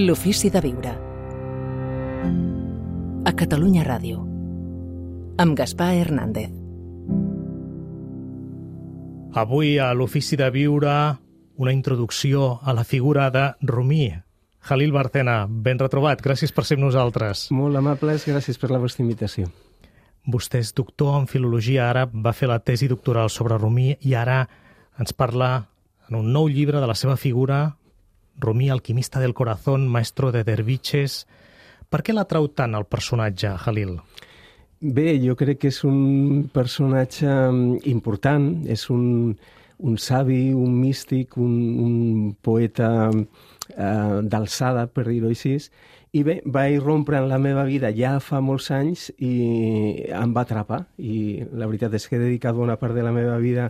L'ofici de viure. A Catalunya Ràdio. Amb Gaspar Hernández. Avui a l'ofici de viure una introducció a la figura de Rumi. Jalil Bárcena, ben retrobat. Gràcies per ser amb nosaltres. Molt amables, gràcies per la vostra invitació. Vostè és doctor en filologia àrab, va fer la tesi doctoral sobre Rumi i ara ens parla en un nou llibre de la seva figura, Rumi, alquimista del corazón, maestro de derviches. Per què l'atrau tant el personatge, Jalil? Bé, jo crec que és un personatge important, és un savi, un místic, un poeta d'alçada, per dir-ho així, i bé, va irrompre en la meva vida ja fa molts anys i em va atrapar, i la veritat és que he dedicat bona part de la meva vida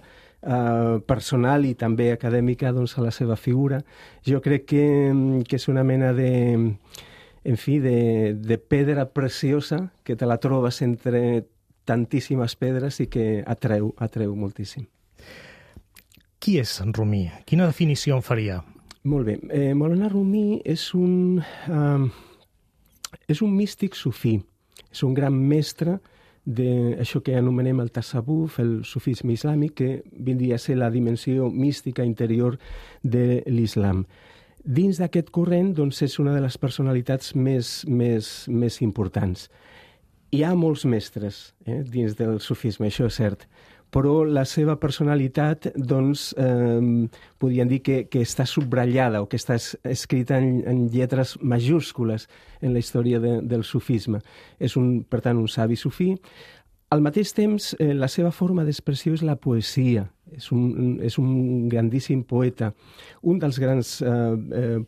personal i també acadèmica doncs, a la seva figura. Jo crec que és una mena de pedra preciosa que te la trobes entre tantíssimes pedres i que atreu moltíssim. Qui és Rumi? Quina definició en faria? Molt bé. Maulana Rumi és un místic sufí, és un gran mestre d'això que anomenem el tasawuf, el sufisme islàmic, que vindria a ser la dimensió mística interior de l'islam. Dins d'aquest corrent doncs, és una de les personalitats més importants. Hi ha molts mestres dins del sufisme, això és cert, però la seva personalitat doncs, podríem dir que està subratllada o que està escrita en lletres majúscules en la història del sufisme. És, per tant, un savi sufí. Al mateix temps, la seva forma d'expressió és la poesia. És un grandíssim poeta, un dels grans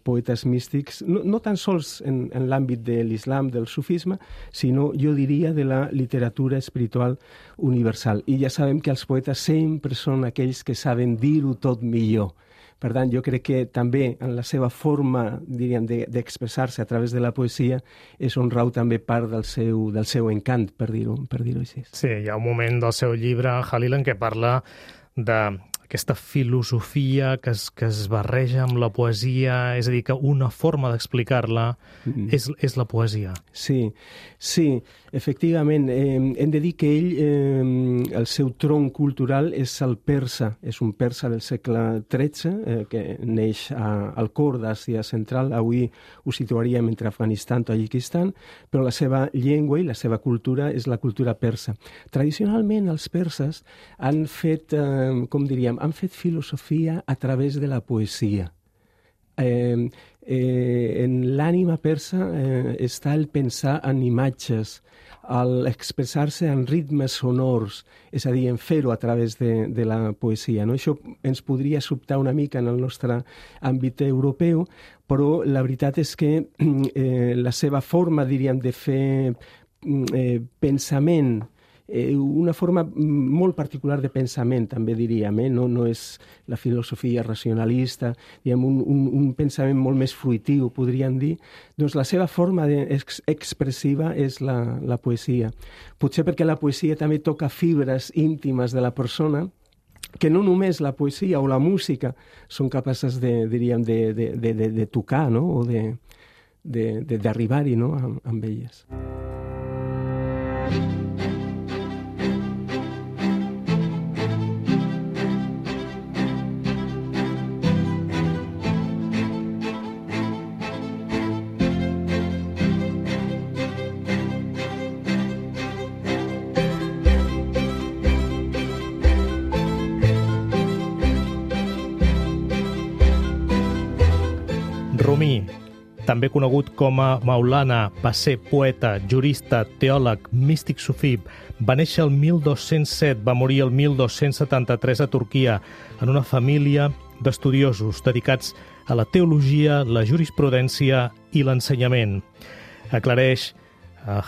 poetes místics, no tan sols en l'àmbit de l'islam, del sufisme, sinó, jo diria, de la literatura espiritual universal. I ja sabem que els poetes sempre són aquells que saben dir-ho tot millor. Per tant, jo crec que també en la seva forma, diríem, d'expressar-se a través de la poesia és on rau també part del seu encant, per dir-ho així. Sí, hi ha un moment del seu llibre, Jalil, en què parla d'aquesta filosofia que es barreja amb la poesia, és a dir, que una forma d'explicar-la és la poesia. Sí, efectivament. Hem de dir que ell, el seu tronc cultural és el persa, és un persa del segle XIII, que neix al cor d'Àsia Central, avui ho situaríem entre Afganistan i Tadjikistan, però la seva llengua i la seva cultura és la cultura persa. Tradicionalment, els perses han fet, han fet filosofia a través de la poesia. En l'ànima persa està el pensar en imatges, l'expressar-se en ritmes sonors, és a dir, en fer-ho a través de la poesia. No? Això ens podria sobtar una mica en el nostre àmbit europeu, però la veritat és que la seva forma, diríem, de fer pensament, una forma molt particular de pensament, també diríem, no és la filosofia racionalista, diguem, un pensament molt més fruitiu, podríem dir, doncs la seva forma expressiva és la poesia. Potser perquè la poesia també toca fibres íntimes de la persona, que no només la poesia o la música són capaces de tocar, no? O d'arribar-hi, no? Amb elles. Rumi, també conegut com a Maulana, va ser poeta, jurista, teòleg, místic sufí. Va néixer el 1207, va morir el 1273 a Turquia, en una família d'estudiosos dedicats a la teologia, la jurisprudència i l'ensenyament. Aclareix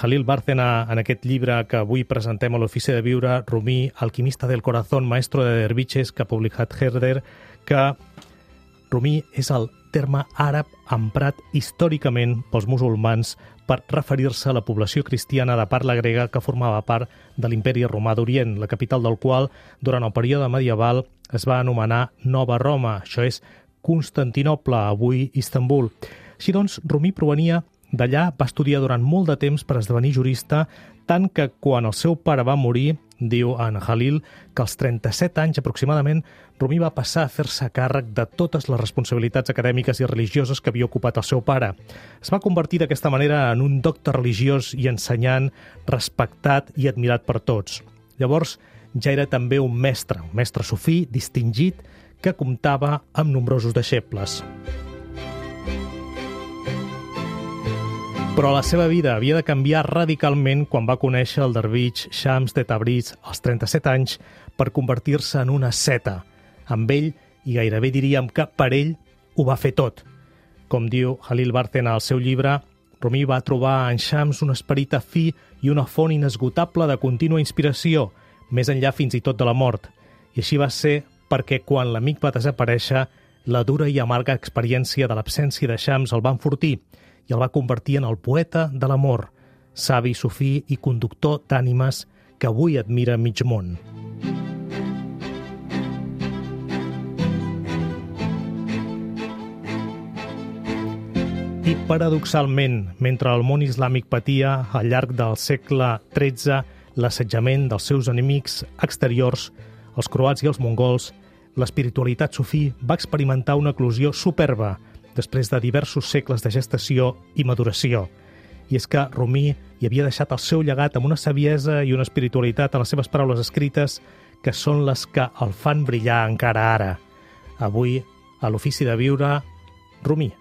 Jalil Bárcena en aquest llibre que avui presentem a l'Ofici de Viure, Rumi, alquimista del corazón, maestro de derviches, que ha publicat Herder, que Rumi és el terme àrab emprat històricament pels musulmans per referir-se a la població cristiana de parla grega que formava part de l'imperi romà d'Orient, la capital del qual, durant el període medieval, es va anomenar Nova Roma, això és Constantinoble, avui Istanbul. Així doncs, Rumi provenia d'allà, va estudiar durant molt de temps per esdevenir jurista, tant que quan el seu pare va morir, diu en Halil, que als 37 anys aproximadament, Rumi va passar a fer-se càrrec de totes les responsabilitats acadèmiques i religioses que havia ocupat el seu pare. Es va convertir d'aquesta manera en un doctor religiós i ensenyant respectat i admirat per tots. Llavors, ja era també un mestre sufí distingit que comptava amb nombrosos deixebles. Però la seva vida havia de canviar radicalment quan va conèixer el dervix Shams de Tabriz als 37 anys per convertir-se en una seta. Amb ell, i gairebé diríem que per ell, ho va fer tot. Com diu Halil Bartena al seu llibre, Rumi va trobar en Shams un esperit afí i una font inesgotable de contínua inspiració, més enllà fins i tot de la mort. I així va ser perquè quan l'amic va desaparèixer, la dura i amarga experiència de l'absència de Shams el va enfortir i el va convertir en el poeta de l'amor, savi, sufí i conductor d'ànimes que avui admira mig món. I paradoxalment, mentre el món islàmic patia al llarg del segle XIII l'assetjament dels seus enemics exteriors, els croats i els mongols, l'espiritualitat sufí va experimentar una eclosió superba després de diversos segles de gestació i maduració. I és que Rumi hi havia deixat el seu llegat amb una saviesa i una espiritualitat a les seves paraules escrites que són les que el fan brillar encara ara. Avui, a l'Ofici de Viure, Rumi.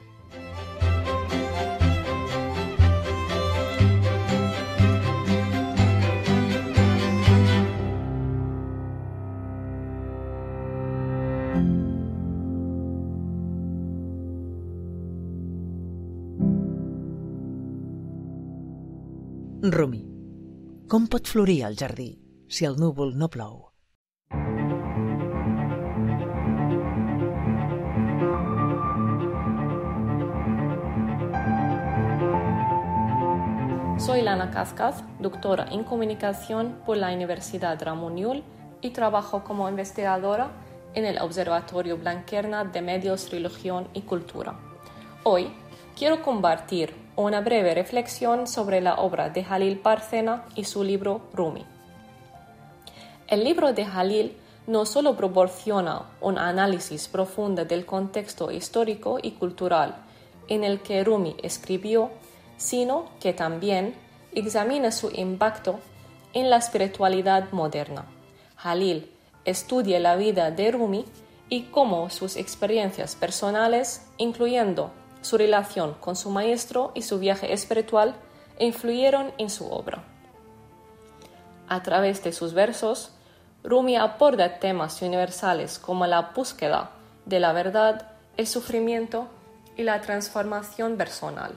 Rumi. Com pot florir el jardí si el núvol no plou? Soy Lana Cascas, doctora en comunicación por la Universidad Ramón Llull y trabajo como investigadora en el Observatorio Blanquerna de Medios, Religión y Cultura. Hoy quiero compartir una breve reflexión sobre la obra de Halil Bartena y su libro Rumi. El libro de Halil no solo proporciona un análisis profundo del contexto histórico y cultural en el que Rumi escribió, sino que también examina su impacto en la espiritualidad moderna. Halil estudia la vida de Rumi y cómo sus experiencias personales, incluyendo su relación con su maestro y su viaje espiritual, influyeron en su obra. A través de sus versos, Rumi aborda temas universales como la búsqueda de la verdad, el sufrimiento y la transformación personal.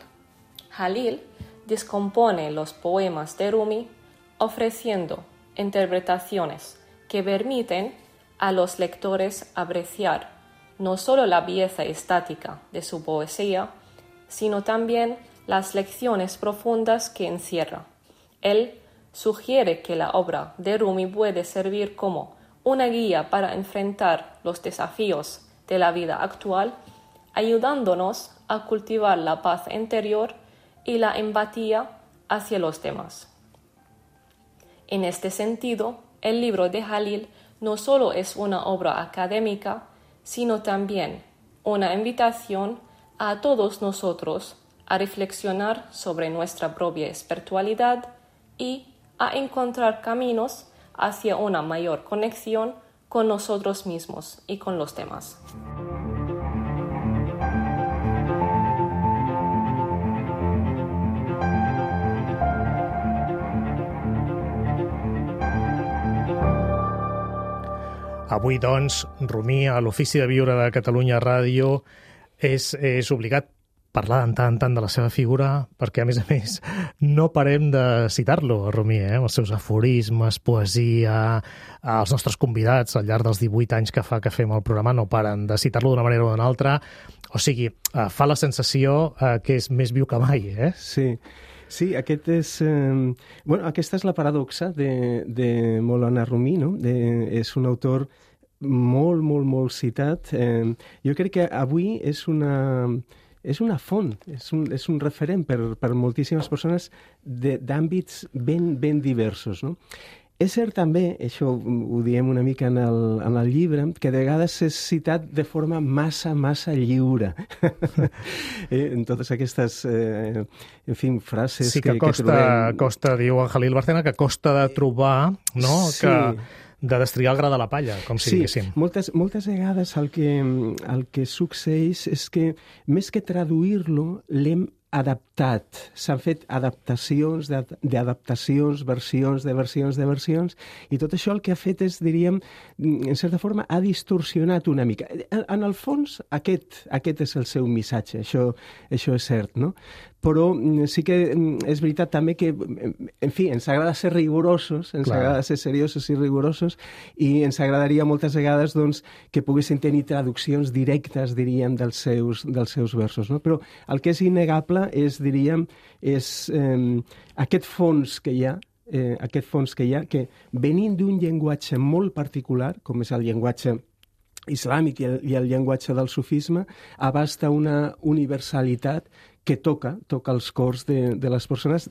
Halil descompone los poemas de Rumi ofreciendo interpretaciones que permiten a los lectores apreciar no solo la belleza estática de su poesía, sino también las lecciones profundas que encierra. Él sugiere que la obra de Rumi puede servir como una guía para enfrentar los desafíos de la vida actual, ayudándonos a cultivar la paz interior y la empatía hacia los demás. En este sentido, el libro de Halil no solo es una obra académica, sino también una invitación a todos nosotros a reflexionar sobre nuestra propia espiritualidad y a encontrar caminos hacia una mayor conexión con nosotros mismos y con los demás. Avui, doncs, Rumi, a l'Ofici de Viure de Catalunya Ràdio, és obligat parlar en tant de la seva figura, perquè, a més, no parem de citar-lo, Rumi, els seus aforismes, poesia, els nostres convidats al llarg dels 18 anys que fa que fem el programa no paren de citar-lo d'una manera o d'una altra. O sigui, fa la sensació que és més viu que mai, eh? Sí, aquesta és la paradoxa de Maulana Rumi, no? És un autor molt citat. Jo crec que avui és una és una font, és un referent per moltíssimes persones d'àmbits ben diversos, no? És cert també, això ho diem una mica en el llibre, que de vegades és citat de forma massa lliure. En totes aquestes, frases sí, que costa, diu en Jalil Bárcena, que costa de trobar, no? Sí. De destriar el gra de la palla, com si diguéssim. Sí, moltes vegades el que succeeix és que, més que traduir-lo, l'hem adaptat. S'han fet adaptacions d'adaptacions, versions de versions, i tot això el que ha fet és, diríem, en certa forma, ha distorsionat una mica. En el fons, aquest és el seu missatge, això és cert, no? Però sí que és veritat també que, en fi, ens agrada ser rigorosos, ens agrada ser seriosos i rigorosos, i ens agradaria moltes vegades doncs, que poguessin tenir traduccions directes, diríem, dels seus versos, no? Però el que és innegable és, diríem, aquest fons que hi ha, que venint d'un llenguatge molt particular, com és el llenguatge islàmic i el llenguatge del sufisme, abasta una universalitat que toca els cors de les persones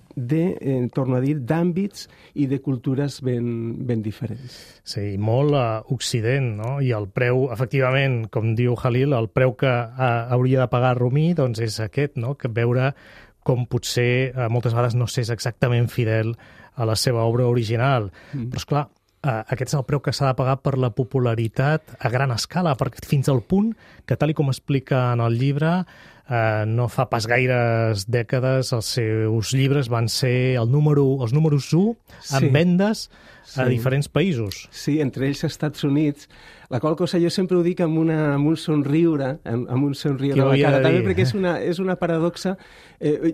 torno a dir, d'àmbits i de cultures ben diferents. Sí, molt occident, no? I el preu, efectivament, com diu Jalil, el preu que hauria de pagar Rumi doncs és aquest, no? Que veure com potser moltes vegades no s'és exactament fidel a la seva obra original. Però, esclar, aquest és el preu que s'ha de pagar per la popularitat a gran escala, perquè fins al punt que, tal com explica en el llibre, no fa pas gaires dècades els seus llibres van ser els números 1 en vendes a diferents països. Sí, entre ells Estats Units, la qual cosa jo sempre ho dic amb un somriure, amb un somriure a la cara, també perquè és una paradoxa,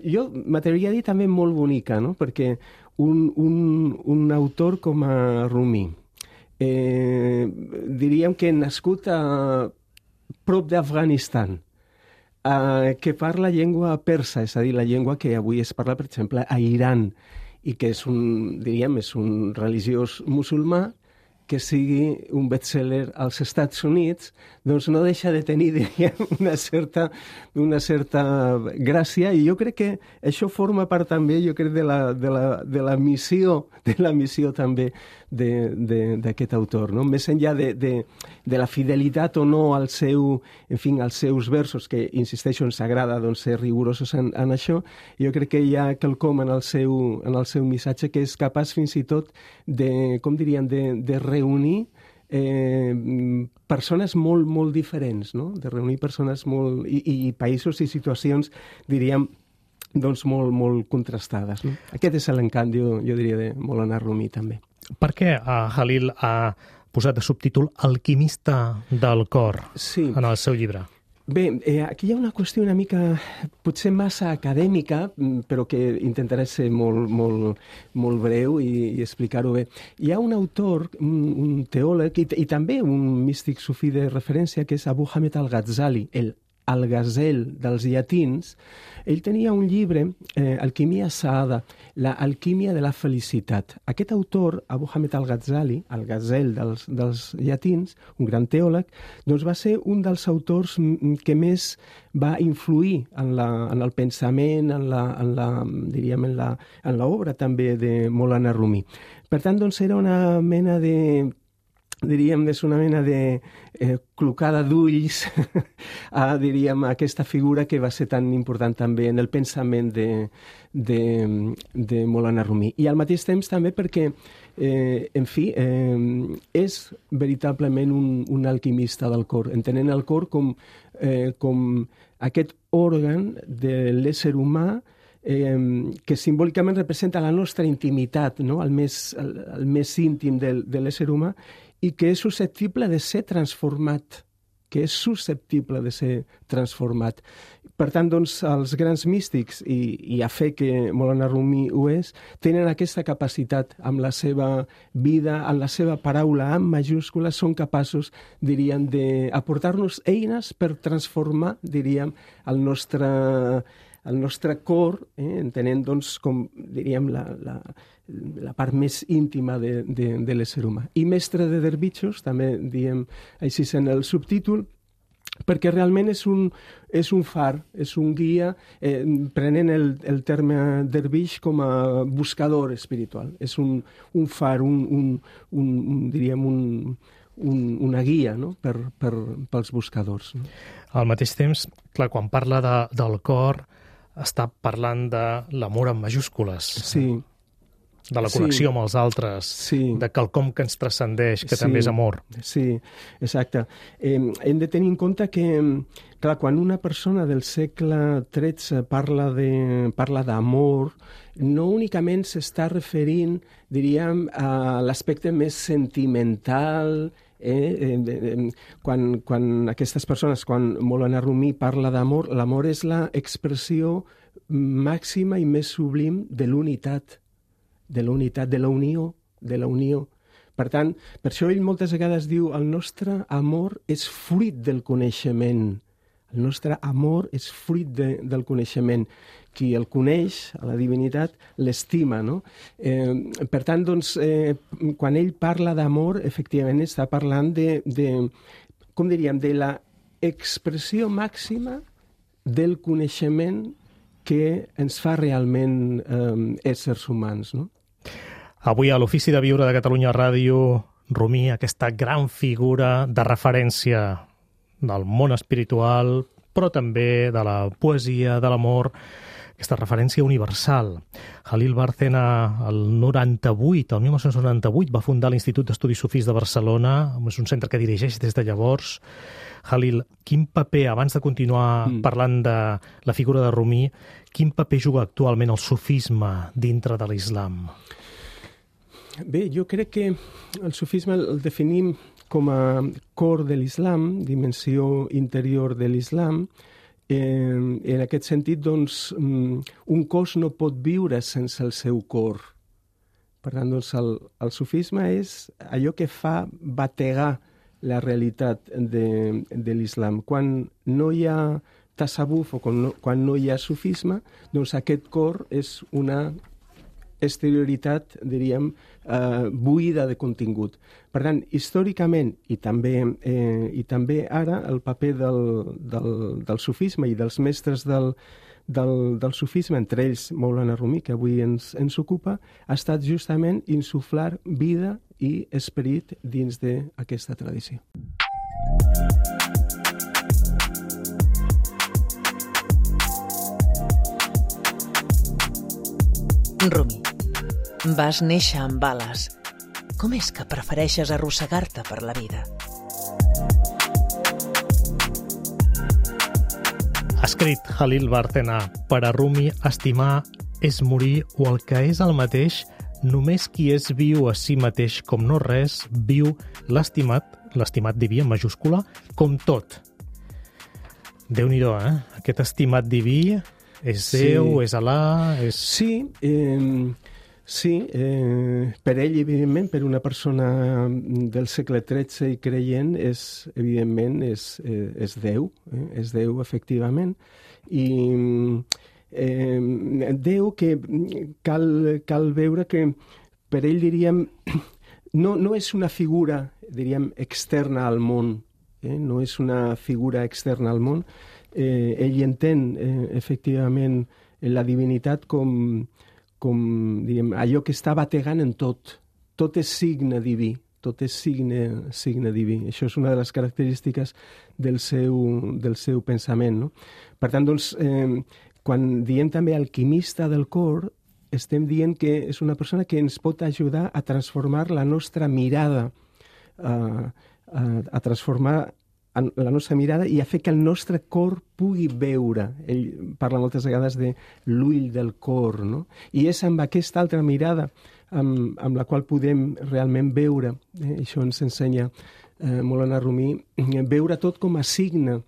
jo m'atreviria a dir també molt bonica, no? Perquè un autor com a Rumi, diríem que nascut a prop d'Afganistan, que parla llengua persa, és a dir, la llengua que avui es parla, per exemple, a Iran, i que és un religiós musulmà, que sigui un best-seller als Estats Units, doncs no deixa de tenir, diríem, una certa gràcia, i jo crec que això forma part també, jo crec, de la missió també d'aquest autor, no? Més enllà de la fidelitat o no als seus versos, que, insisteixo, ens agrada doncs, ser rigorosos en això, jo crec que hi ha quelcom en el seu missatge que és capaç fins i tot de, com diríem, de reunir persones molt diferents, no? De reunir persones i països i situacions, diríem, doncs molt contrastades, no? Aquest és l'encant, jo diria, de Maulana Rumi, també. Per què Jalil ha posat de subtítol Alquimista del cor en el seu llibre? Bé, aquí hi ha una qüestió una mica, potser massa acadèmica, però que intentaré ser molt breu i explicar-ho bé. Hi ha un autor, un teòleg i també un místic sufí de referència, que és Abu Hamid al-Ghazali, el Al-Ghazal dels llatins. Ell tenia un llibre, Alquimia Saada, la alquímia de la felicitat. Aquest autor, Abu Hamid al-Ghazali, el Ghazal dels llatins, un gran teòleg, doncs va ser un dels autors que més va influir en el pensament, diríem, en l'obra també de Maulana Rumi. Per tant, doncs era una mena de clocada d'ulls a aquesta figura que va ser tan important també en el pensament de Maulana Rumi. I al mateix temps també perquè, és veritablement un alquimista del cor, entenent el cor com aquest òrgan de l'ésser humà que simbòlicament representa la nostra intimitat, no? el més íntim de l'ésser humà, i que és susceptible de ser transformat, Per tant, doncs, els grans místics, i a fe que Maulana Rumi ho és, tenen aquesta capacitat amb la seva vida, amb la seva paraula amb majúscules, són capaços, diríem, d'aportar-nos eines per transformar, diríem, el nostre cor, entenent, doncs, com, diríem, la part més íntima de l'ésser humà. I mestre de derbitxos, també diem així en el subtítol, perquè realment és un far, és un guia, prenen el terme dervix com a buscador espiritual. És un far, diríem, una guia, no? pels buscadors. No? Al mateix temps, clar, quan parla del cor, està parlant de l'amor en majúscules. Sí. De la connexió amb els altres, de quelcom que ens transcendeix, que també és amor. Sí, exacte. Hem de tenir en compte que, clar, quan una persona del segle XIII parla d'amor, no únicament s'està referint, diríem, a l'aspecte més sentimental. Quan aquestes persones, quan Maulana Rumi parla d'amor, l'amor és l'expressió màxima i més sublim de l'unitat, de la unió. Per tant, per això ell moltes vegades diu el nostre amor és fruit del coneixement. El nostre amor és fruit del coneixement. Qui el coneix, a la divinitat, l'estima, no? Per tant, doncs, quan ell parla d'amor, efectivament està parlant com diríem, de la expressió màxima del coneixement que ens fa realment éssers humans, no? Avui a l'Ofici de Viure de Catalunya Ràdio, Rumi, aquesta gran figura de referència del món espiritual, però també de la poesia, de l'amor, aquesta referència universal. Jalil Bárcena, el 1998, va fundar l'Institut d'Estudis Sufís de Barcelona, és un centre que dirigeix des de llavors. Jalil, quin paper, abans de continuar parlant de la figura de Rumi, quin paper juga actualment el sufisme dintre de l'islam? Bé, jo crec que el sufisme el definim com a cor de l'islam, dimensió interior de l'islam. En aquest sentit, doncs, un cos no pot viure sense el seu cor. Per tant, doncs, el sufisme és allò que fa bategar la realitat de l'islam. Quan no hi ha tasawuf o quan no hi ha sufisme, doncs aquest cor és una exterioritat, diríem, buida de contingut. Per tant, històricament i també ara, el paper del sufisme i dels mestres del sufisme, entre ells Maulana Rumi, que avui ens ocupa, ha estat justament insuflar vida i esperit dins d'aquesta tradició. Rumi, vas néixer amb ales. Com és que prefereixes arrossegar-te per la vida? Ha escrit Jalil Bárcena: per a Rumi, estimar és morir, o el que és el mateix, només qui és viu a si mateix com no res, viu l'estimat diví en majúscula, com tot. Déu-n'hi-do, Aquest estimat diví és Déu, és Alà... És... Sí, per ell, evidentment, per una persona del segle XIII i creient, evidentment, és Déu, és Déu, efectivament. I Déu que cal veure que per ell, diríem, no és una figura, diríem, externa al món, no és una figura externa al món. Ell entén, efectivament, la divinitat com diguem, allò que està bategant en tot. Tot és signe diví, tot és signe diví. Això és una de les característiques del seu pensament, no? Per tant, doncs, quan diem també alquimista del cor, estem dient que és una persona que ens pot ajudar a transformar la nostra mirada, a transformar la nostra mirada i a fer que el nostre cor pugui veure. Ell parla moltes vegades de l'ull del cor, no? I és amb aquesta altra mirada amb la qual podem realment veure, això ens ensenya Maulana Rumi, veure tot com a signe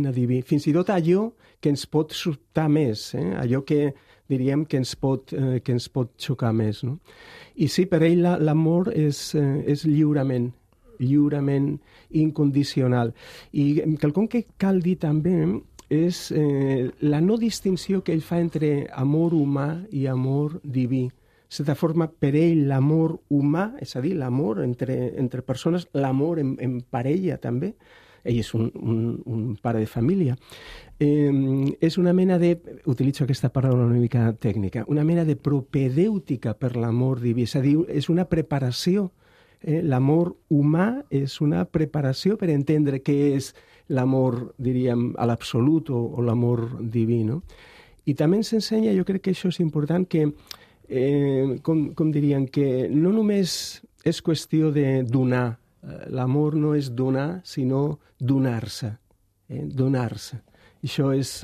diví. Fins i tot allò que ens pot sobtar més, allò que diríem que ens pot xocar més, no? I sí, per ell l'amor és lliurement incondicional. I quelcom que cal dir també és la no distinció que ell fa entre amor humà i amor diví. De certa forma, per ell, l'amor humà, és a dir, l'amor entre persones, l'amor en parella també, ell és un pare de família, és una mena de, utilitzo aquesta paraula una mica tècnica, una mena de propedèutica per l'amor diví, és a dir, és una preparació. L'amor humà és una preparació per entendre què és l'amor, diríem, a l'absolut o l'amor diví, no? I també ens ensenya, jo crec que això és important, que, com diríem, que no només és qüestió de donar, l'amor no és donar, sinó donar-se, donar-se. Això és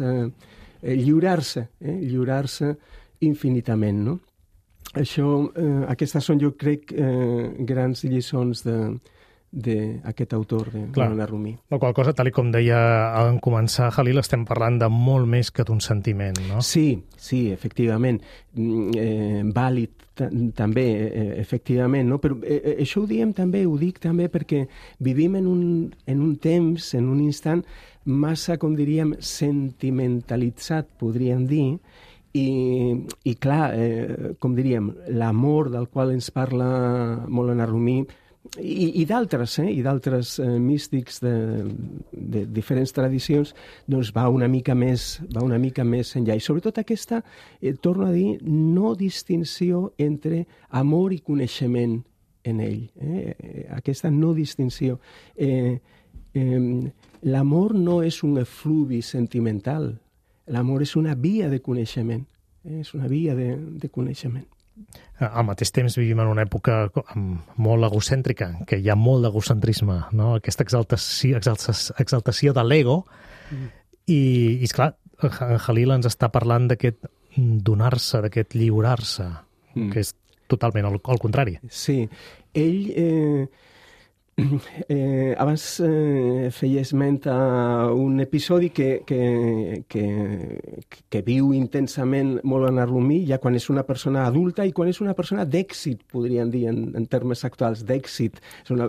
lliurar-se, lliurar-se infinitament, no? Aquestes són, jo crec, grans lliçons d'aquest autor, de Maulana Rumi. La qual cosa, tal com deia en començar, Jalil, estem parlant de molt més que d'un sentiment, no? Sí, efectivament. Vàlid també, efectivament, no? Però això ho dic també perquè vivim en un temps, en un instant massa, com diríem, sentimentalitzat, podríem dir, i clar, com diríem, l'amor del qual ens parla Maulana Rumi i d'altres místics de diferents tradicions, doncs va una mica més enllà. I sobretot aquesta, torno a dir, no distinció entre amor i coneixement en ell. Aquesta no distinció. L'amor no és un efluvi sentimental. L'amor és una via de coneixement. És una via de coneixement. Al mateix temps vivim en una època molt egocèntrica, que hi ha molt d'egocentrisme, no? Aquesta exaltació de l'ego. I esclar, en Jalil ens està parlant d'aquest donar-se, d'aquest lliurar-se, que és totalment el contrari. Sí. Ell... abans feia esment a un episodi que viu intensament Maulana Rumi ja quan és una persona adulta i quan és una persona d'èxit, podríem dir, en termes actuals, d'èxit.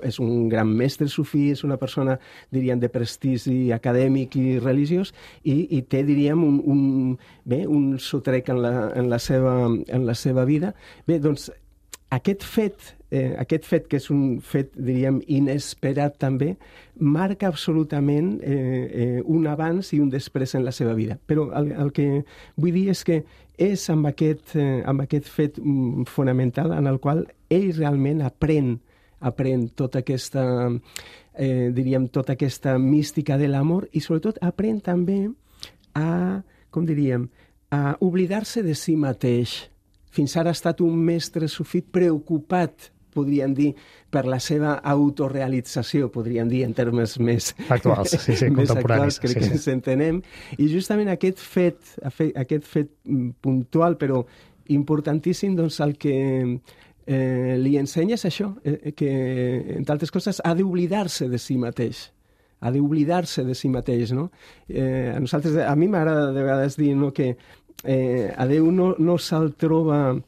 És un gran mestre sufí, és una persona, diríem, de prestigi acadèmic i religiós i té, diríem, un sotrec en la seva vida. Bé, doncs, aquest fet, que és un fet, diríem, inesperat també, marca absolutament un abans i un després en la seva vida. Però el que vull dir és que és amb aquest fet fonamental en el qual ell realment aprèn tota aquesta, diríem, tota aquesta mística de l'amor i sobretot aprèn també a, com diríem, a oblidar-se de si mateix. Fins ara ha estat un mestre sufí preocupat, podríem dir, per la seva autorealització, podríem dir, en termes més actuals, més actuals, crec que ens entenem. I justament aquest fet puntual, però importantíssim, doncs el que li ensenya és això, que, entre altres coses, ha d'oblidar-se de si mateix. Ha d'oblidar-se de si mateix, no? A mi m'agrada de vegades dir, no, que a Déu no se'l troba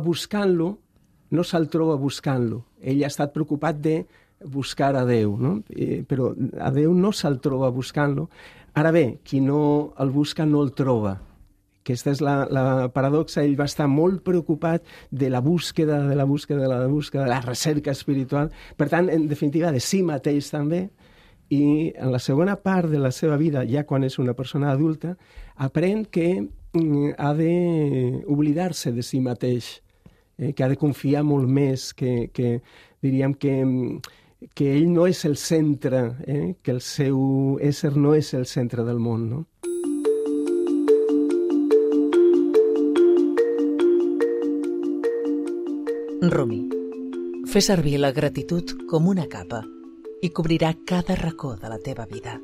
buscant-lo, no se'l troba buscant-lo. Ell ha estat preocupat de buscar a Déu, no? Però a Déu no se'l troba buscant-lo. Ara bé, qui no el busca no el troba. Aquesta és la paradoxa. Ell va estar molt preocupat de la búsqueda, de la recerca espiritual. Per tant, en definitiva, de si mateix també. I en la segona part de la seva vida, ja quan és una persona adulta, aprèn que ha d'oblidar-se de si mateix, que ha de confiar molt més, que diríem que ell no és el centre, que el seu ésser no és el centre del món, no? Rumi, fer servir la gratitud com una capa i cobrirà cada racó de la teva vida.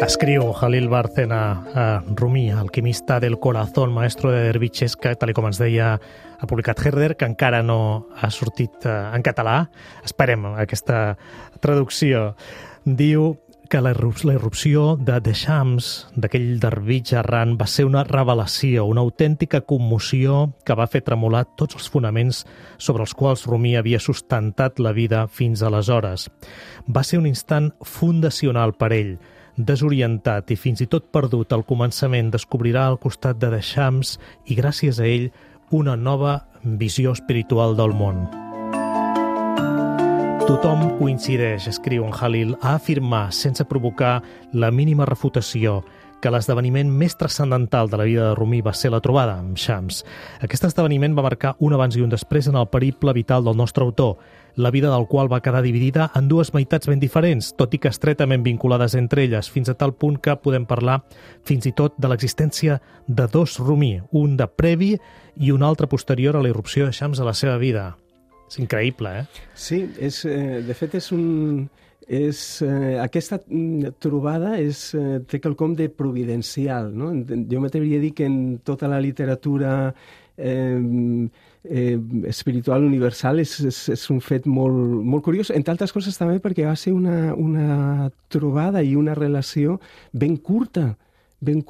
Escriu Jalil Bárcena a Rumi, alquimista del corazón, maestro de derviches, que, tal com ens deia, ha publicat Herder, que encara no ha sortit en català. Esperem aquesta traducció. Diu que la irrupció de Deshams, d'aquell dervitx errant, va ser una revelació, una autèntica commoció que va fer tremolar tots els fonaments sobre els quals Rumi havia sustentat la vida fins aleshores. Va ser un instant fundacional per ell. Desorientat i fins i tot perdut al començament, descobrirà al costat de Deshams i, gràcies a ell, una nova visió espiritual del món. Tothom coincideix, escriu en Halil, a afirmar, sense provocar la mínima refutació, que l'esdeveniment més transcendental de la vida de Rumi va ser la trobada amb Shams. Aquest esdeveniment va marcar un abans i un després en el periple vital del nostre autor, la vida del qual va quedar dividida en dues meitats ben diferents, tot i que estretament vinculades entre elles, fins a tal punt que podem parlar fins i tot de l'existència de dos Rumi, un de previ i un altre posterior a la irrupció de Shams a la seva vida. És increïble, eh? Sí, de fet aquesta trobada té quelcom de providencial, no? Jo m'atreviria a dir que en tota la literatura espiritual universal és un fet molt curiós, entre altres coses també perquè va ser una trobada i una relació ben curta. 3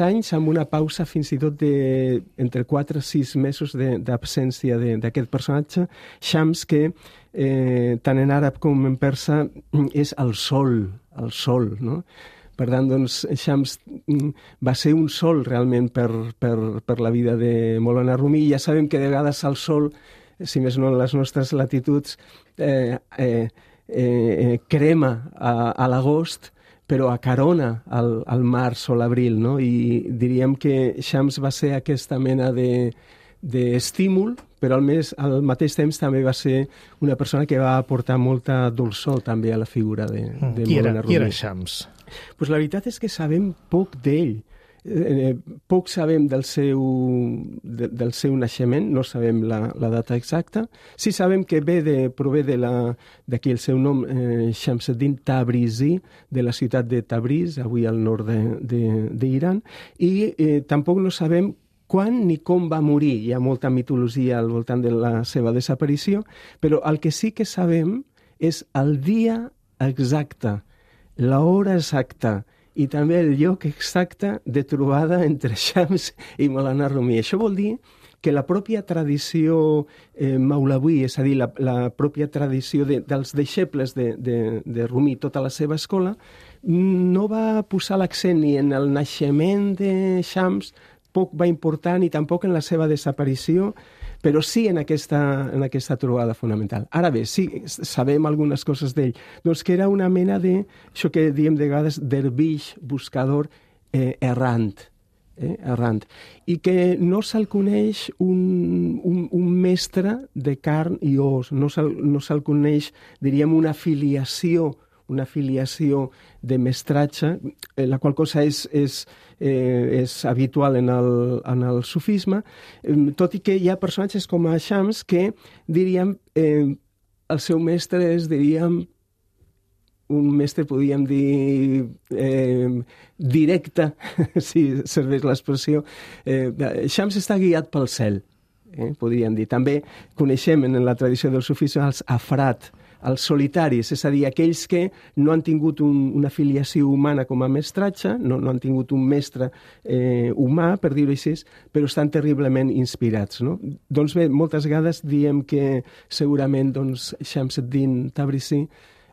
anys amb una pausa fins i tot entre 4 i 6 mesos d'absència d'aquest personatge, Shams, que tant en àrab com en persa és el sol, no? Per tant, doncs, Shams va ser un sol realment per la vida de Maulana Rumi. Ja sabem que de vegades el sol, si més no en les nostres latituds, crema a l'agost, però acarona al març o l'abril, no? I diríem que Shams va ser aquesta mena d'estímul, però al mateix temps també va ser una persona que va aportar molta dolçor també a la figura de Maulana Rumi. Qui era Shams? Pues la veritat és que sabem poc d'ell. Poc sabem del seu naixement, no sabem la data exacta. Sí sabem que prové d'aquí el seu nom, Shamsuddin Tabrizi, de la ciutat de Tabriz, avui al nord d'Iran, i tampoc no sabem quan ni com va morir. Hi ha molta mitologia al voltant de la seva desaparició, però el que sí que sabem és el dia exacte, l'hora exacta, i també el lloc exacte de trobada entre Shams i Maulana Rumi. Això vol dir que la pròpia tradició maulaví, és a dir, la pròpia tradició dels deixebles de Rumi, tota la seva escola, no va posar l'accent ni en el naixement de Shams, poc va importar, ni tampoc en la seva desaparició, però sí en aquesta trobada fonamental. Ara bé, sí, sabem algunes coses d'ell. Doncs que era una mena això que diem de vegades, dervix, buscador errant, i que no se'l coneix un mestre de carn i os, no se'l coneix, diríem, una filiació de mestratge, la qual cosa és habitual en el sufisme, tot i que hi ha personatges com a Shams que, diríem, el seu mestre és, diríem, un mestre, podríem dir, directe, si serveix l'expressió. Shams està guiat pel cel, podríem dir. També coneixem en la tradició del sufisme els afrat, els solitaris, és a dir, aquells que no han tingut una filiació humana com a mestratge, no han tingut un mestre humà, per dir-ho així, però estan terriblement inspirats, no? Doncs bé, moltes vegades diem que segurament Shamsuddin Tabrizi,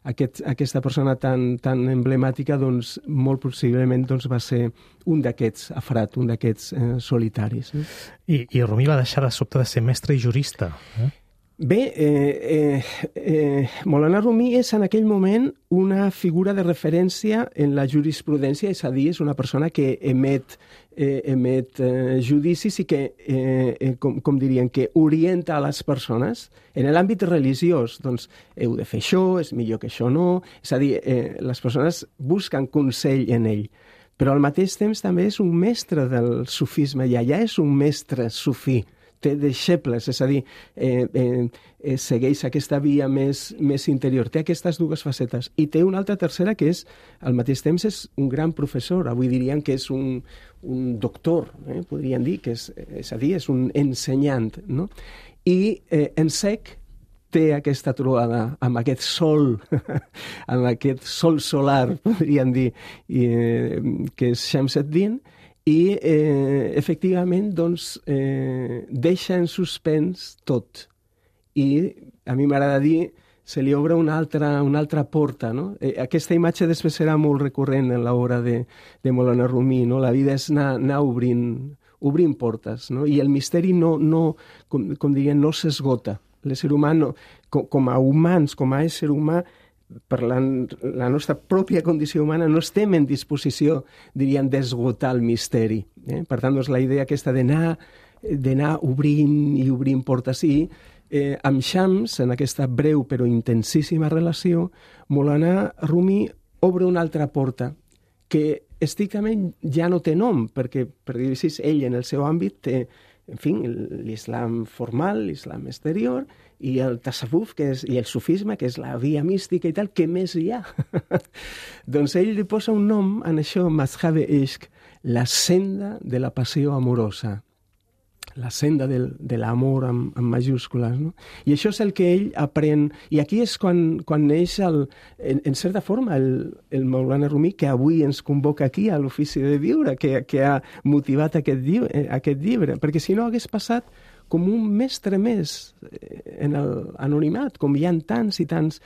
aquesta persona tan emblemàtica, doncs, molt possiblement va ser un d'aquests afrat, un d'aquests solitaris. I Rumi va deixar de sobte de ser mestre i jurista, Bé, Maulana Rumi és en aquell moment una figura de referència en la jurisprudència, és a dir, és una persona que emet judicis i que, com dirien, que orienta a les persones. En l'àmbit religiós, doncs, heu de fer això, és millor que això no, és a dir, les persones busquen consell en ell. Però al mateix temps també és un mestre del sufisme, i allà és un mestre sufí. Té deixebles, és a dir, segueix aquesta via més interior. Té aquestes dues facetes. I té una altra tercera que és, al mateix temps, és un gran professor. Avui diríem que és un doctor, podríem dir, que és a dir, és un ensenyant, no? I en sec té aquesta trobada amb aquest sol, amb aquest sol solar, podríem dir, que és Shamsuddin, i efectivament doncs, deixa en suspens tot. I a mi m'agrada dir, se li obre una altra porta, no? Aquesta imatge després serà molt recurrent en l'obra de Maulana Rumi, no? La vida és anar obrint obrim portes, no? I el misteri com dirien, no s'esgota. L'ésser humà, com a humans, com a ésser humà, per la nostra pròpia condició humana, no estem en disposició, diríem, d'esgotar el misteri. Per tant, doncs, la idea aquesta d'anar obrint portes. I amb Shams, en aquesta breu però intensíssima relació, Maulana Rumi obre una altra porta, que estrictament ja no té nom, perquè, per dir-ho així, ell en el seu àmbit té, en fi, l'islam formal, l'islam exterior, i el tasawuf, i el sufisme, que és la via mística i tal, què més hi ha? Doncs ell li posa un nom en això, Mazhab-e Ishq, la senda de la passió amorosa, la senda de l'amor amb majúscules, no? I això és el que ell aprèn, i aquí és quan neix, en certa forma, el Maulana Rumi, que avui ens convoca aquí a l'Ofici de Viure, que ha motivat aquest llibre, perquè si no hagués passat com un mestre més en l'anonimat, com hi ha tants i tants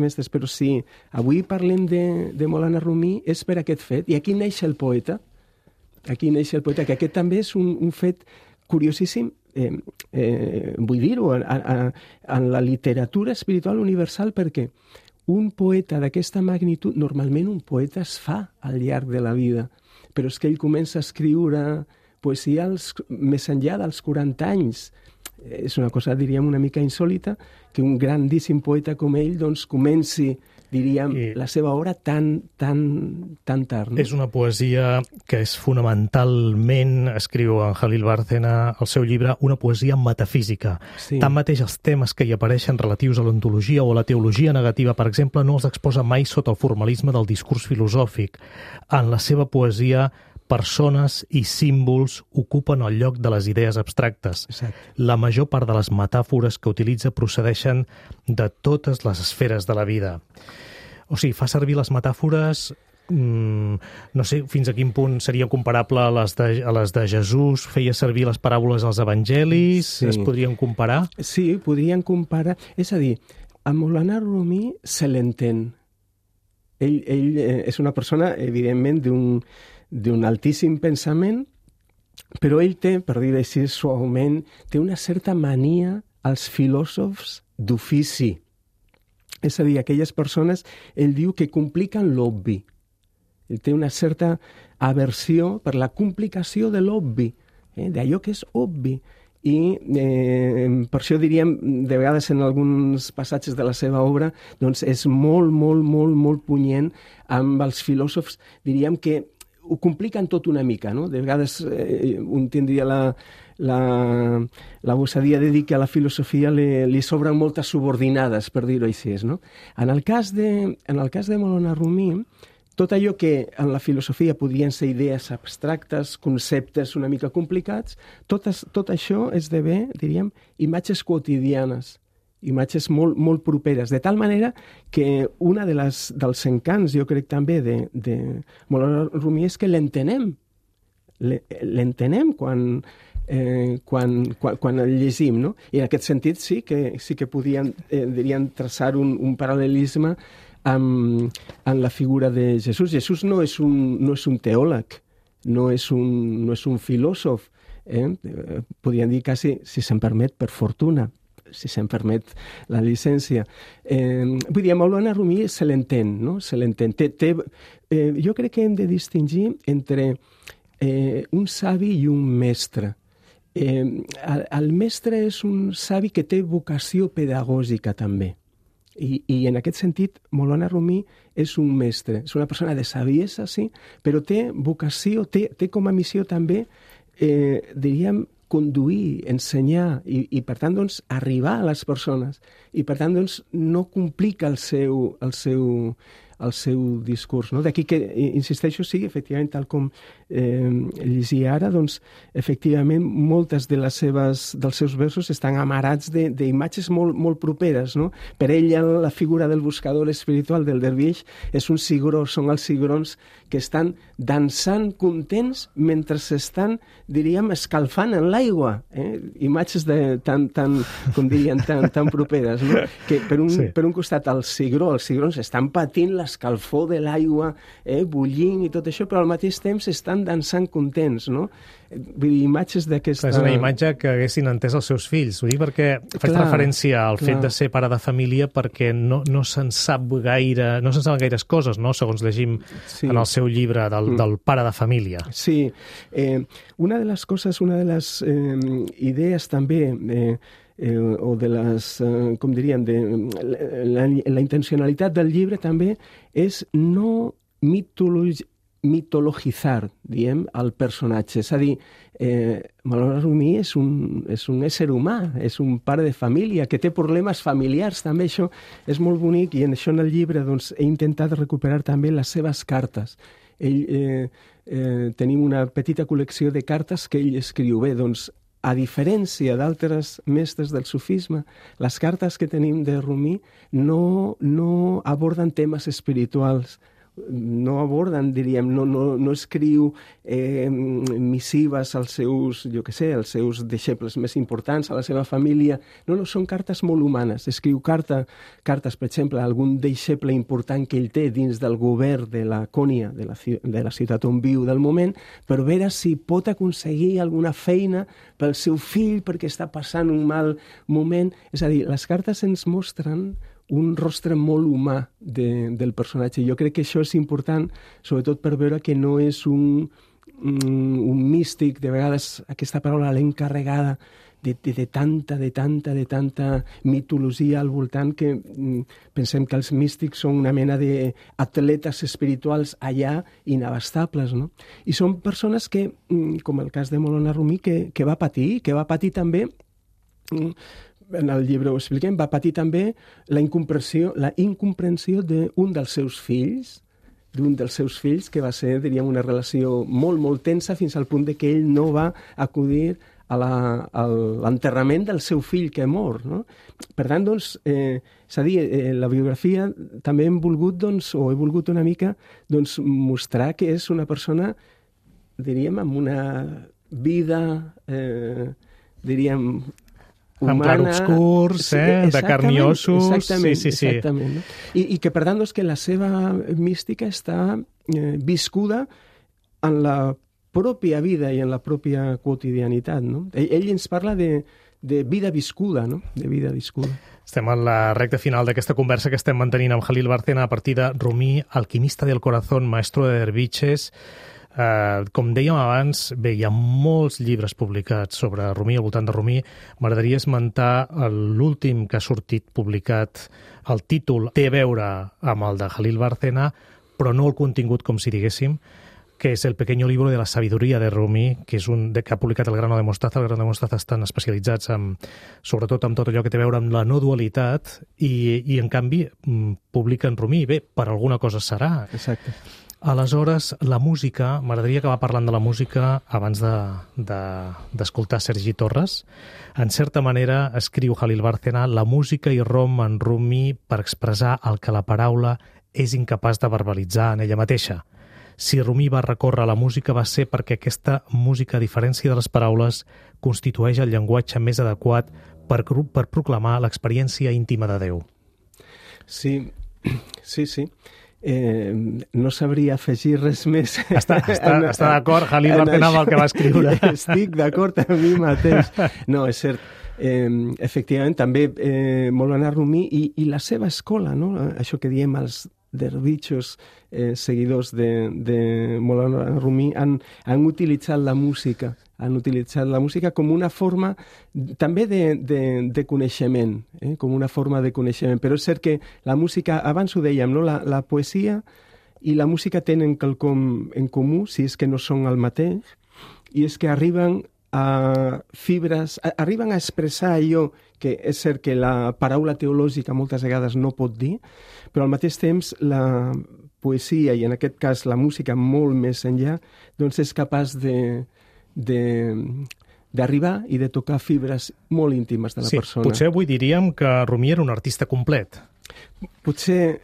mestres. Però si avui parlem de Maulana Rumi és per aquest fet, i aquí neix el poeta, que aquest també és un fet curiosíssim, vull dir-ho, en la literatura espiritual universal, perquè un poeta d'aquesta magnitud, normalment un poeta es fa al llarg de la vida, però és que ell comença a escriure poesia més enllà dels 40 anys. És una cosa, diríem, una mica insòlita, que un grandíssim poeta com ell doncs, comenci, diríem, la seva obra tan tard. No? És una poesia que és fonamentalment, escriu en Jalil Bárcena al seu llibre, una poesia metafísica. Sí. Tanmateix, els temes que hi apareixen relatius a l'ontologia o a la teologia negativa, per exemple, no els exposa mai sota el formalisme del discurs filosòfic. En la seva poesia, persones i símbols ocupen el lloc de les idees abstractes. Exacte. La major part de les metàfores que utilitza procedeixen de totes les esferes de la vida. O sigui, fa servir les metàfores, no sé fins a quin punt seria comparable a les de Jesús, feia servir les paràboles als evangelis, sí. Es podrien comparar? Sí, podrien comparar. És a dir, a Maulana Rumi se l'entén. Ell és una persona, evidentment, d'un altíssim pensament, però ell té, per dir-ho així suaument, té una certa mania als filòsofs d'ofici. És a dir, aquelles persones, ell diu que compliquen l'obvi. Ell té una certa aversió per la complicació de l'obvi, d'allò que és obvi. I per això diríem, de vegades en alguns passatges de la seva obra, doncs és molt punyent amb els filòsofs, diríem que ho compliquen tot una mica, no? De vegades un tindria la gosadia de dir que a la filosofia li sobren moltes subordinades, per dir-ho així, no? En el cas de Maulana Rumi, tot allò que en la filosofia podrien ser idees abstractes, conceptes una mica complicats, tot això esdevé, diríem, imatges quotidianes, imatges molt properes, de tal manera que una dels encants, jo crec també, de Maulana Rumi és que l'entenem quan el llegim, no? I en aquest sentit sí que podien, diríem, traçar un paral·lelisme en la figura de Jesús. Jesús no és un teòleg, no és un filòsof, podríem dir quasi, si se'm permet, per fortuna, si se'm permet la llicència. Vull dir, a Maulana Rumi se l'entén, no? Se l'entén. Jo crec que hem de distingir entre un savi i un mestre. El mestre és un savi que té vocació pedagògica també. I en aquest sentit, Maulana Rumi és un mestre, és una persona de saviesa, sí, però té vocació, té com a missió també, diríem, conduir, ensenyar i per tant, doncs, arribar a les persones. I per tant, doncs, no complica el seu discurs, no? D'aquí que, insisteixo, sí, efectivament, tal com llegia ara, doncs, efectivament, moltes dels seus versos estan amarats d'imatges molt properes, no? Per ell, la figura del buscador espiritual, del dervix, és un cigró, són els cigrons que estan dansant contents mentre s'estan, diríem, escalfant en l'aigua. Imatges tan properes, no? Que per un costat els cigrons estan patint la l'escalfor de l'aigua bullint i tot això, però al mateix temps estan dansant contents, no? Vull dir, imatges d'aquesta... És una imatge que haguessin entès els seus fills. Ho dic perquè faig referència al fet de ser pare de família perquè no se'n saben gaires coses, no? Segons llegim en el seu llibre del pare de família. Sí. Una de les coses, una de les idees també... o de les, com diríem, la intencionalitat del llibre també és no mitologitzar, diem, el personatge. És a dir, Maulana Rumi és un ésser humà, és un pare de família que té problemes familiars, també això és molt bonic i en això en el llibre doncs, he intentat recuperar també les seves cartes. Tenim una petita col·lecció de cartes que ell escriu. Bé, doncs, a diferència d'altres mestres del sufisme, les cartes que tenim de Rumi no aborden temes espirituals, no aborden, diríem, no escriu missives als seus, als seus deixebles més importants, a la seva família. No, són cartes molt humanes. Escriu cartes, per exemple, a algun deixeble important que ell té dins del govern de la Cònia, de la ciutat on viu del moment, per veure si pot aconseguir alguna feina pel seu fill perquè està passant un mal moment. És a dir, les cartes ens mostren un rostre molt humà del personatge. Jo crec que això és important, sobretot per veure que no és un místic, de vegades aquesta paraula l'hem carregada de tanta mitologia al voltant que pensem que els místics són una mena d'atletes espirituals allà inabastables, no? I són persones que, com el cas de Maulana Rumi, que va patir també... En el llibre ho expliquem, va patir també la incomprensió d'un dels seus fills, que va ser, diríem, una relació molt tensa fins al punt de que ell no va acudir a l'enterrament del seu fill que mor, no? Per tant, doncs, és a dir, la biografia també he volgut una mica mostrar que és una persona, diríem, amb una vida, diríem, humana, amb clarobscurs, de carn i ossos. Exactament. No? I que, per tant, doncs, que la seva mística està viscuda en la pròpia vida i en la pròpia quotidianitat. No? Ell ens parla de vida viscuda, no? De vida viscuda. Estem en la recta final d'aquesta conversa que estem mantenint amb Jalil Bárcena a partir de Rumi, alquimista del corazón, maestro de derviches. Com dèiem abans, bé, hi ha molts llibres publicats sobre Rumi, al voltant de Rumi. M'agradaria esmentar l'últim que ha sortit publicat. El títol té a veure amb el de Jalil Bárcena, però no el contingut, com si diguéssim, que és El pequeño libro de la sabiduría de Rumi, que és que ha publicat el Grano de Mostaza. El Grano de Mostaza estan especialitzats sobretot en tot allò que té a veure amb la no dualitat i en canvi, publiquen Rumi. Bé, per alguna cosa serà. Exacte. Aleshores, la música, m'agradaria acabar parlant de la música abans d'escoltar Sergi Torres. En certa manera, escriu Jalil Bárcena, la música irromp en Rumi per expressar el que la paraula és incapaç de verbalitzar en ella mateixa. Si Rumi va recórrer a la música va ser perquè aquesta música, a diferència de les paraules, constitueix el llenguatge més adequat per proclamar l'experiència íntima de Déu. Sí. No sabria afegir res més. Està d'acord, Jalil Bárcena, amb el que va escriure. Estic d'acord amb mi mateix. No, és cert. Efectivament, també Maulana Rumi i la seva escola, no? Això que diem els dervitxos seguidors de Maulana Rumi han utilitzat la música. Han utilitzat la música com una forma també de coneixement, com una forma de coneixement. Però és cert que la música, abans ho dèiem, no? La poesia i la música tenen quelcom en comú, si és que no són el mateix, i és que arriben a fibres, arriben a expressar allò que és cert que la paraula teològica moltes vegades no pot dir, però al mateix temps la poesia, i en aquest cas la música molt més enllà, doncs és capaç d'arribar i de tocar fibres molt íntimes de la persona. Potser avui diríem que Rumi era un artista complet. Potser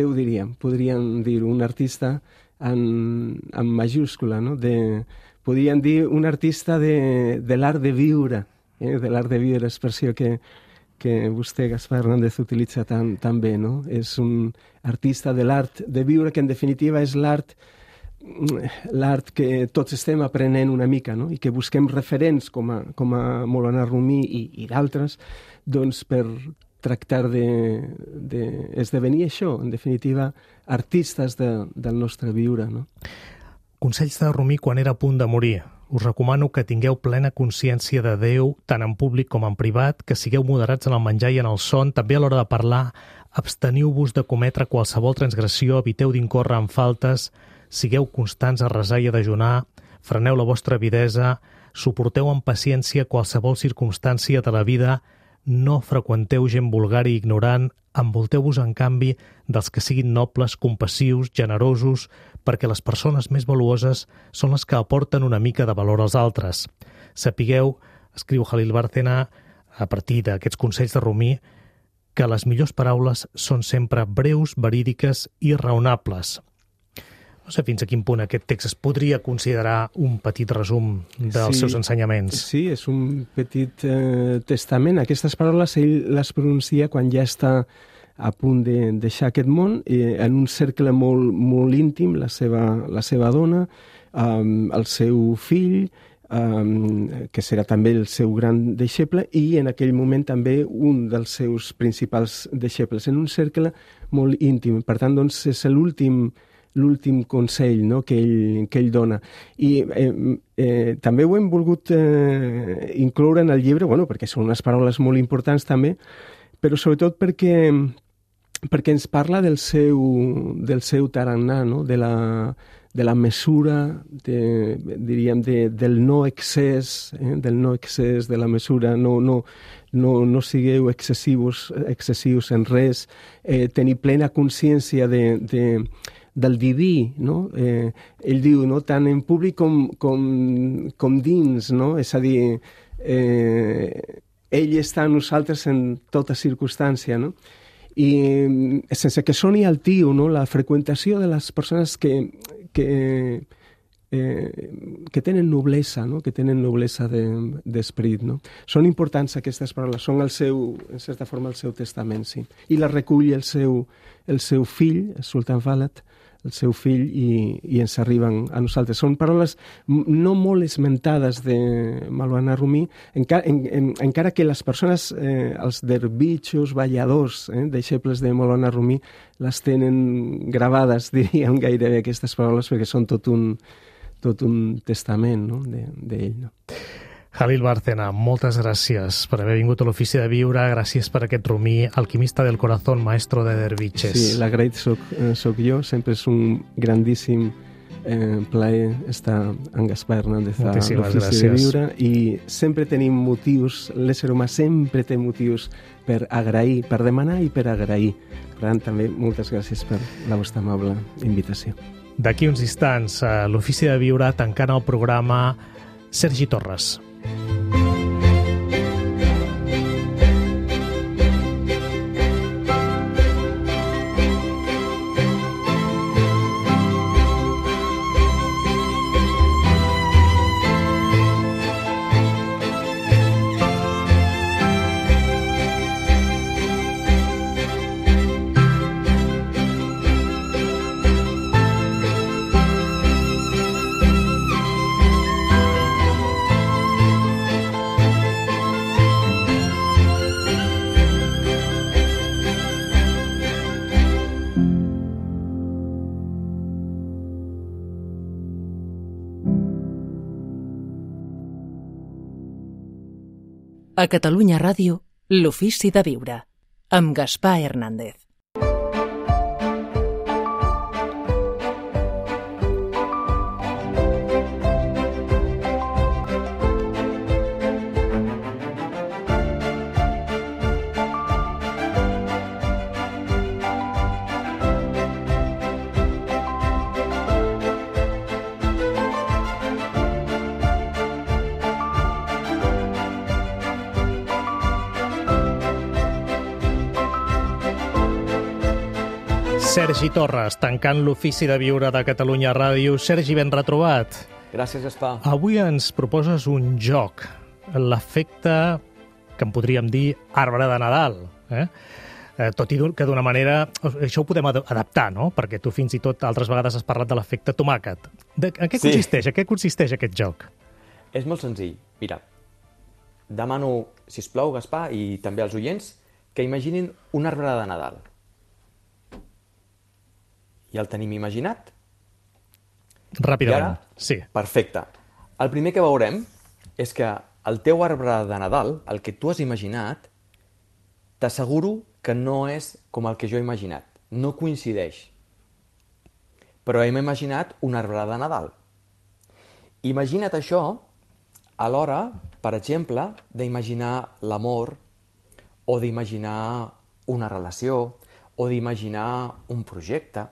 ho diríem, podríem dir un artista en majúscula, no? Podríem dir un artista de l'art de viure, de l'art de viure, expressió que que vostè, Gaspar Hernández, utilitza tan bé, no? És un artista de l'art de viure, que en definitiva és l'art que tots estem aprenent una mica, no? I que busquem referents com a Maulana Rumi i d'altres, doncs per tractar d'esdevenir això, en definitiva, artistes del nostre viure, no? Consells de Rumi quan era a punt de morir. Us recomano que tingueu plena consciència de Déu, tant en públic com en privat, que sigueu moderats en el menjar i en el son, també a l'hora de parlar, absteniu-vos de cometre qualsevol transgressió, eviteu d'incórrer en faltes, sigueu constants a resar i a dejunar, freneu la vostra avidesa, suporteu amb paciència qualsevol circumstància de la vida, no freqüenteu gent vulgar i ignorant, envolteu-vos, en canvi, dels que siguin nobles, compassius, generosos, perquè les persones més valuoses són les que aporten una mica de valor als altres. Sapigueu, escriu Jalil Bárcena, a partir d'aquests consells de Rumi, que les millors paraules són sempre breus, verídiques i raonables. No sé fins a quin punt aquest text es podria considerar un petit resum dels seus ensenyaments. Sí, és un petit testament. Aquestes paraules ell les pronuncia quan ja està a punt de deixar aquest món, en un cercle molt, molt íntim, la seva dona, el seu fill, que serà també el seu gran deixeble, i en aquell moment també un dels seus principals deixebles, en un cercle molt íntim. Per tant, doncs, és l'últim consell, no?, que ell dona. I també ho hem volgut incloure en el llibre, perquè són unes paraules molt importants també, però sobretot perquè ens parla del seu tarannà, no?, de la mesura, diríem, del no excés, de la mesura, no sigueu excessius en res, tenir plena consciència del diví, no? Ell diu, no?, tant en públic com dins, no? És a dir, ell està amb nosaltres en tota circumstància, no? I sense que soni altiu, no?, la freqüentació de les persones que tenen noblesa, no?, que tenen noblesa d'esperit, no? Són importants aquestes paraules, són en certa forma, el seu testament, sí. I la recull el seu fill, el Sultan Valad, el seu fill, i ens arriben a nosaltres. Són paraules no molt esmentades de Maulana Rumi, encara que les persones, els derbitxos, balladors, deixebles de Maulana Rumi, les tenen gravades, diríem, gairebé aquestes paraules, perquè són tot un testament, no?, d'ell, no? Jalil Bárcena, moltes gràcies per haver vingut a l'Ofici de Viure, gràcies per aquest Rumi, alquimista del corazón, maestro de derviches. Sí, l'agraït soc jo, sempre és un grandíssim plaer estar amb Gaspar Hernández a l'Ofici de Viure, i sempre tenim motius, l'ésser humà sempre té motius per agrair, per demanar i per agrair. Per tant, també moltes gràcies per la vostra amable invitació. D'aquí uns instants, a l'Ofici de Viure, tancant el programa, Sergi Torres. A Catalunya Ràdio, l'Ofici de Viure, amb Gaspar Hernández. Sergi Torres, tancant l'Ofici de Viure de Catalunya Ràdio. Sergi, ben retrobat. Gràcies, Gaspar. Avui ens proposes un joc, l'efecte que en podríem dir arbre de Nadal, tot i que d'una manera... Això ho podem adaptar, no? Perquè tu fins i tot altres vegades has parlat de l'efecte tomàquet. En què consisteix? En què consisteix aquest joc? És molt senzill. Mira, demano, sisplau, Gaspar, i també als oients, que imaginin un arbre de Nadal. Ja el tenim imaginat? Ràpidament, ara, sí. Perfecte. El primer que veurem és que el teu arbre de Nadal, el que tu has imaginat, t'asseguro que no és com el que jo he imaginat. No coincideix. Però hem imaginat un arbre de Nadal. Imagina't això a l'hora, per exemple, d'imaginar l'amor, o d'imaginar una relació, o d'imaginar un projecte,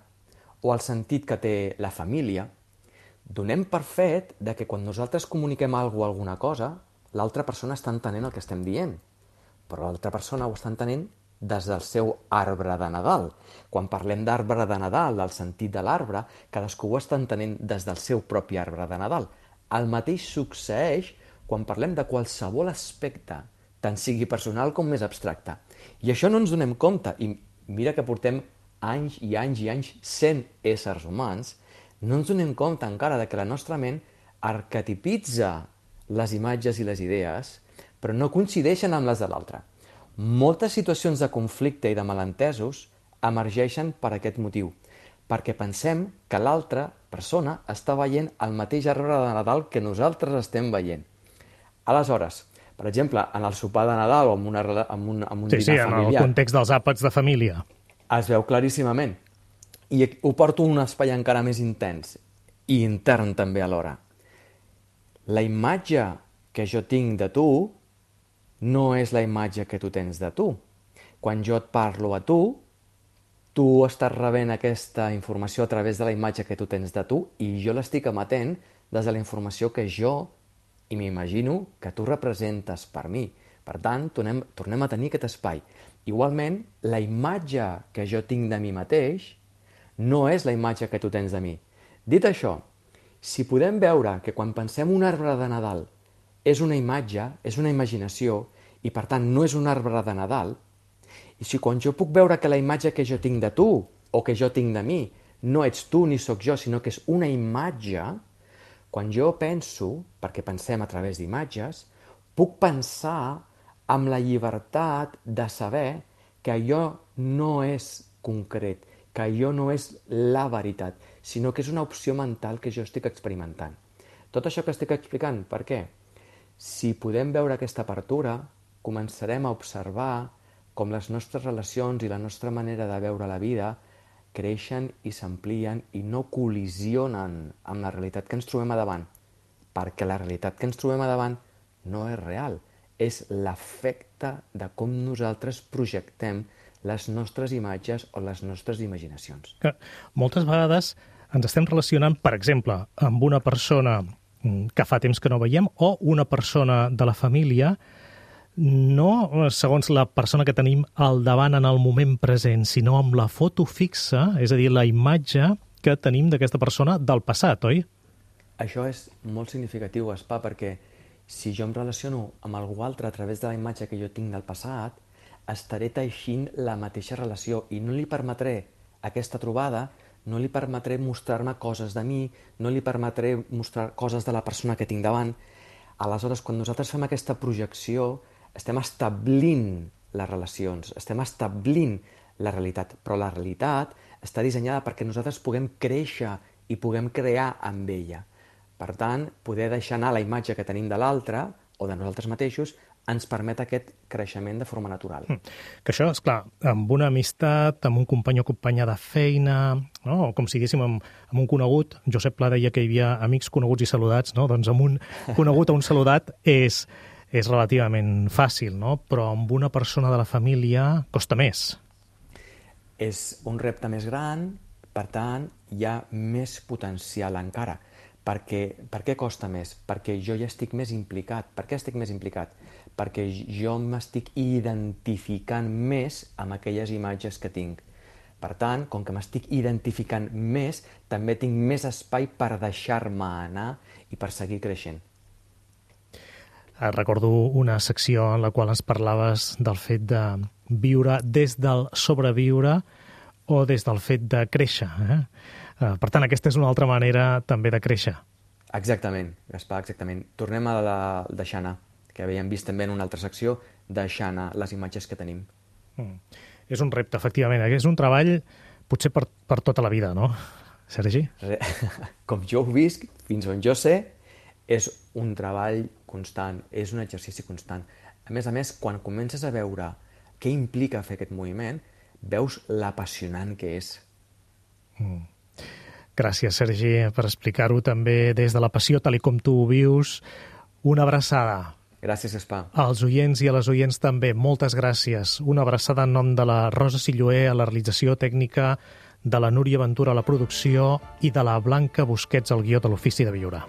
o el sentit que té la família. Donem per fet que quan nosaltres comuniquem alguna cosa, l'altra persona està entenent el que estem dient, però l'altra persona ho està entenent des del seu arbre de Nadal. Quan parlem d'arbre de Nadal, del sentit de l'arbre, cadascú ho està entenent des del seu propi arbre de Nadal. El mateix succeeix quan parlem de qualsevol aspecte, tant sigui personal com més abstracte. I això no ens donem compte, i mira que portem anys i anys i anys sent éssers humans, no ens donem compte encara que la nostra ment arquetipitza les imatges i les idees, però no coincideixen amb les de l'altre. Moltes situacions de conflicte i de malentesos emergeixen per aquest motiu, perquè pensem que l'altra persona està veient el mateix arbre de Nadal que nosaltres estem veient. Aleshores, per exemple, en el sopar de Nadal o en un dinar familiar... Sí, en el context dels àpats de família. Es veu claríssimament. I ho porto a un espai encara més intens i intern també alhora. La imatge que jo tinc de tu no és la imatge que tu tens de tu. Quan jo et parlo a tu, tu estàs rebent aquesta informació a través de la imatge que tu tens de tu i jo l'estic emetent des de la informació que jo i m'imagino que tu representes per mi. Per tant, tornem a tenir aquest espai. Igualment, la imatge que jo tinc de mi mateix no és la imatge que tu tens de mi. Dit això, si podem veure que quan pensem un arbre de Nadal és una imatge, és una imaginació, i per tant no és un arbre de Nadal, i si quan jo puc veure que la imatge que jo tinc de tu, o que jo tinc de mi, no ets tu ni sóc jo, sinó que és una imatge, quan jo penso, perquè pensem a través d'imatges, puc pensar amb la llibertat de saber que allò no és concret, que allò no és la veritat, sinó que és una opció mental que jo estic experimentant. Tot això que estic explicant, per què? Si podem veure aquesta apertura, començarem a observar com les nostres relacions i la nostra manera de veure la vida creixen i s'amplien i no col·lisionen amb la realitat que ens trobem a davant, perquè la realitat que ens trobem a davant no és real, és l'efecte de com nosaltres projectem les nostres imatges o les nostres imaginacions. Que moltes vegades ens estem relacionant, per exemple, amb una persona que fa temps que no veiem, o una persona de la família, no segons la persona que tenim al davant en el moment present, sinó amb la foto fixa, és a dir, la imatge que tenim d'aquesta persona del passat, oi? Això és molt significatiu, Gaspar, perquè si jo em relaciono amb algú altre a través de la imatge que jo tinc del passat, estaré teixint la mateixa relació i no li permetré aquesta trobada, no li permetré mostrar-me coses de mi, no li permetré mostrar coses de la persona que tinc davant. Aleshores, quan nosaltres fem aquesta projecció, estem establint les relacions, estem establint la realitat, però la realitat està dissenyada perquè nosaltres puguem créixer i puguem crear amb ella. Per tant, poder deixar anar la imatge que tenim de l'altre o de nosaltres mateixos ens permet aquest creixement de forma natural. Que això, esclar, amb una amistat, amb un company o companya de feina, no? O com si diguéssim amb un conegut, Josep Pla deia que hi havia amics coneguts i saludats, no? Doncs amb un conegut o un saludat és relativament fàcil, no? Però amb una persona de la família costa més. És un repte més gran, per tant, hi ha més potencial encara. Per què costa més? Perquè jo ja estic més implicat. Per què estic més implicat? Perquè jo m'estic identificant més amb aquelles imatges que tinc. Per tant, com que m'estic identificant més, també tinc més espai per deixar-me anar i per seguir creixent. Recordo una secció en la qual ens parlaves del fet de viure des del sobreviure o des del fet de créixer. Per tant, aquesta és una altra manera també de créixer. Exactament, Gaspar, exactament. Tornem a la deixar anar, que havíem vist també en una altra secció, deixar anar les imatges que tenim. És un repte, efectivament. És un treball potser per tota la vida, no, Sergi? Com jo ho visc, fins on jo sé, és un treball constant, és un exercici constant. A més, quan comences a veure què implica fer aquest moviment, veus l'apassionant que és. Gràcies, Sergi, per explicar-ho també des de la passió, tal com tu ho vius. Una abraçada. Gràcies, Gaspar. Als oients i a les oients també, moltes gràcies. Una abraçada en nom de la Rosa Silloé a la realització tècnica, de la Núria Ventura a la producció i de la Blanca Busquets al guió de l'Ofici de Viure.